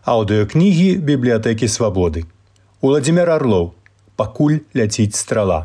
Аўдыёкнігі бібліятэкі Свабоды. Уладзімир Арлоў. Пакуль ляціць страла.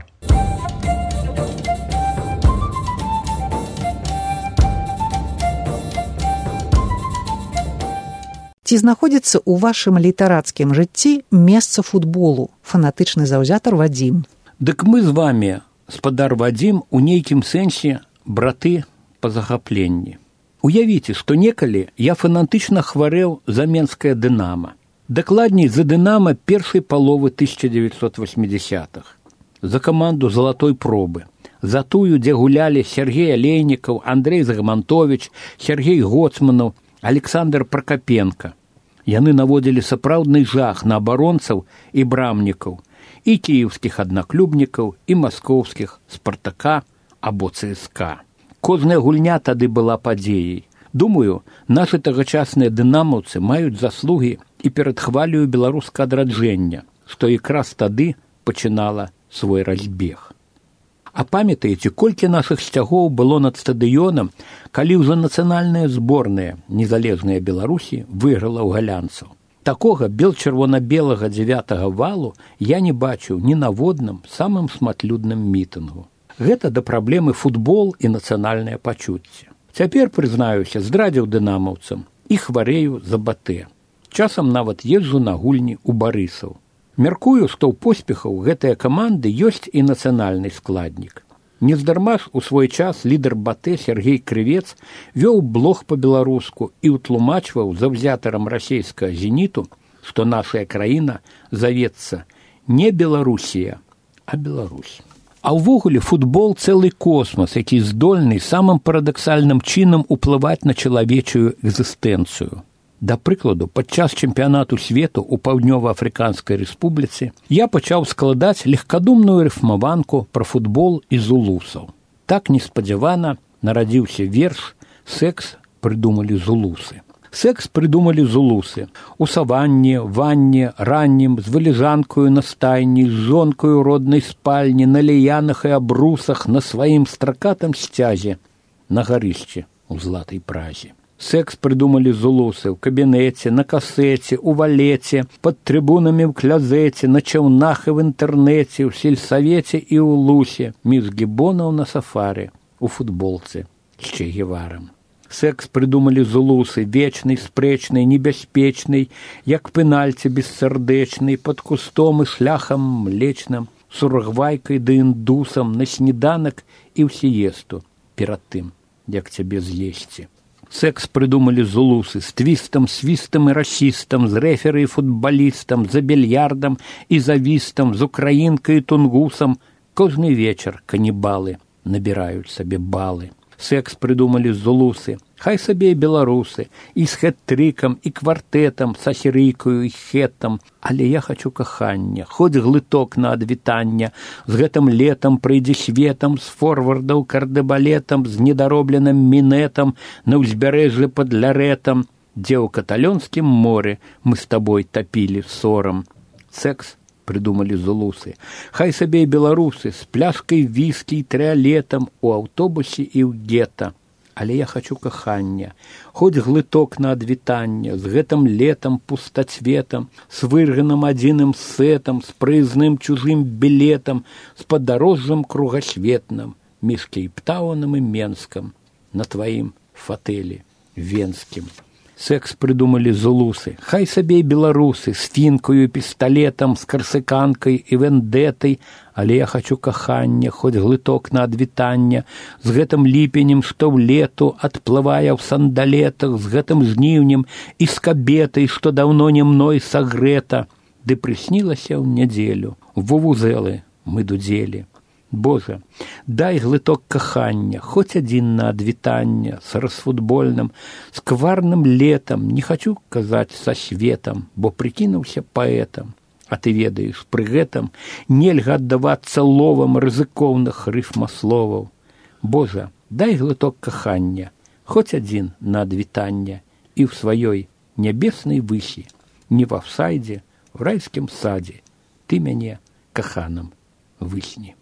Ці знаходзіцца ў вашым літарацкім жыцці месца футболу, фанатычны заўзятар Вадзім? Дык мы з вамі, спадар Вадзім, у нейкім сэнсе браты па захапленні. Уявіце, што некалі я фанатычна хварэў за менскае «Дынама». Дакладней, за «Дынама» першай паловы 1980-х. За каманду «Залатой пробы». За тую, дзе гулялі Сергей Алейнікаў, Андрей Загамантович, Сергей Гоцманаў, Александр Прокопенко. Яны наводзілі сапраўдны жах на абаронцаў і брамнікаў, і кіеўскіх аднаклубнікаў, і маскоўскіх «Спартака» або «ЦСКА». Кожная гульня тады была падзеяй. Думаю, нашы тагачасныя дынамаўцы маюць заслугі і перад хваляю беларускага адраджэння, што якраз тады пачынала свой разбег. А памятаеце, колькі нашых сцягоў было над стадыёнам, калі ўжо нацыянальная зборная незалежная Беларусі выйграла ў галянцаў? Такога бел-чырвона-белага 9-го валу я не бачыў ні на водным самым шматлюдным мітынгу. Гэта да праблемы футбол і нацыянальнае пачуцце. Цяпер, прызнаюся, здрадзіў дынамаўцам і хварэю за БТ. Часам нават езджу на гульні ў Барысаў. Мяркую, што ў поспехаў гэтыя каманды ёсць і нацыянальны складнік. Нездарма ж у свой час лідар БТ Сергей Крывец вёў блог па-беларуску і ўтлумачваў заўзятарам расейскага «Зеніту», што наша краіна завецца не Беларусія, а Беларусь. А ўвогуле футбол цэлы космас, які здольны самым парадаксальным чынам уплываць на чалавечую экзістэнцыю. Да прыкладу, падчас чэмпіянату свету ў Паўднёва-Афрыканскай рэспубліцы я пачаў складаць легкадумную рыфмаванку пра футбол і зулусаў. Так неспадзявана нарадзіўся верш «Секс прыдумалі зулусы». Секс прыдумалі зулусы. У саванне, ванне, раннім, з вылежанкаю на стайні, з жонкаю роднай спальні, на ліянах і абрусах, на сваім стракатым сцязе, на гарышчы ў златай празе. Секс прыдумалі зулусы ў кабінеце, на касеце, у валеце, пад трыбунамі ў клязеце, на чаўнах і в інтэрнэце, ў сельсавеце і ў лусе, між гібонаў на сафары, у футболцы з Че Геварам. Секс прыдумалі зулусы, вечны, спрэчны, небяспечны, як пенальці бессардэчны, пад кустом і шляхам млечным, сурагвайкай ды індусам, на сніданак і ў сіесту, перад тым, як цябе з'есці. Секс прыдумалі зулусы з твістам, свістам і расістам, з рэферы і футбалістам, за більярдам і завістам, з украінкай і тунгусам. Кожны вечар канібалы набіраюць сабе балы. Секс прыдумалі зулусы, хай сабе і беларусы, і з хэт-трыкам, і квартэтам, са сірыйкаю і хэтам. Але я хачу кахання, хоць глыток на адвітання, з гэтым летам прыйдзе светам, з форвардаў кардебалетам, з недаробленым мінетам, на ўзбярэжжы пад лярэтам, дзе ў каталёнскім моры мы з табой тапілі сорам. Секс прыдумалі зулусы. Хай сабе і беларусы з пляшкай віскі і трыалетам у аўтобусе і ў гета. Але я хачу кахання, хоць глыток на адвітання, з гэтым летам пустацветам, з вырганым адзіным сетам, з прыязным чужым білетам, з падарожжам кругасветным, між Кейптаўнам і Менскам, на тваім фатэлі венскім. Секс прыдумалі зулусы, хай сабе і беларусы, з фінкаю, пісталетам, з карсыканкай і вендэтай, але я хачу кахання, хоць глыток на адвітання, з гэтым ліпенем, што ў лету адплывае ў сандалетах, з гэтым жніўнем і з кабетай, што даўно не мной сагрэта, ды прыснілася ў нядзелю, вувузэлы мы дудзелі. Божа, дай глыток кахання, хоць адзін на адвітання, з расфутбольным, з кварным летам, не хачу казаць са светам, бо прыкінуўся паэтам. А ты ведаеш, пры гэтым нельга аддавацца ловам рызыкоўных рыфмасловаў. Божа, дай глыток кахання, хоць адзін на адвітання, і ў сваёй нябеснай высі, не в афсайдзе, в райскім садзе, ты мяне каханым высні.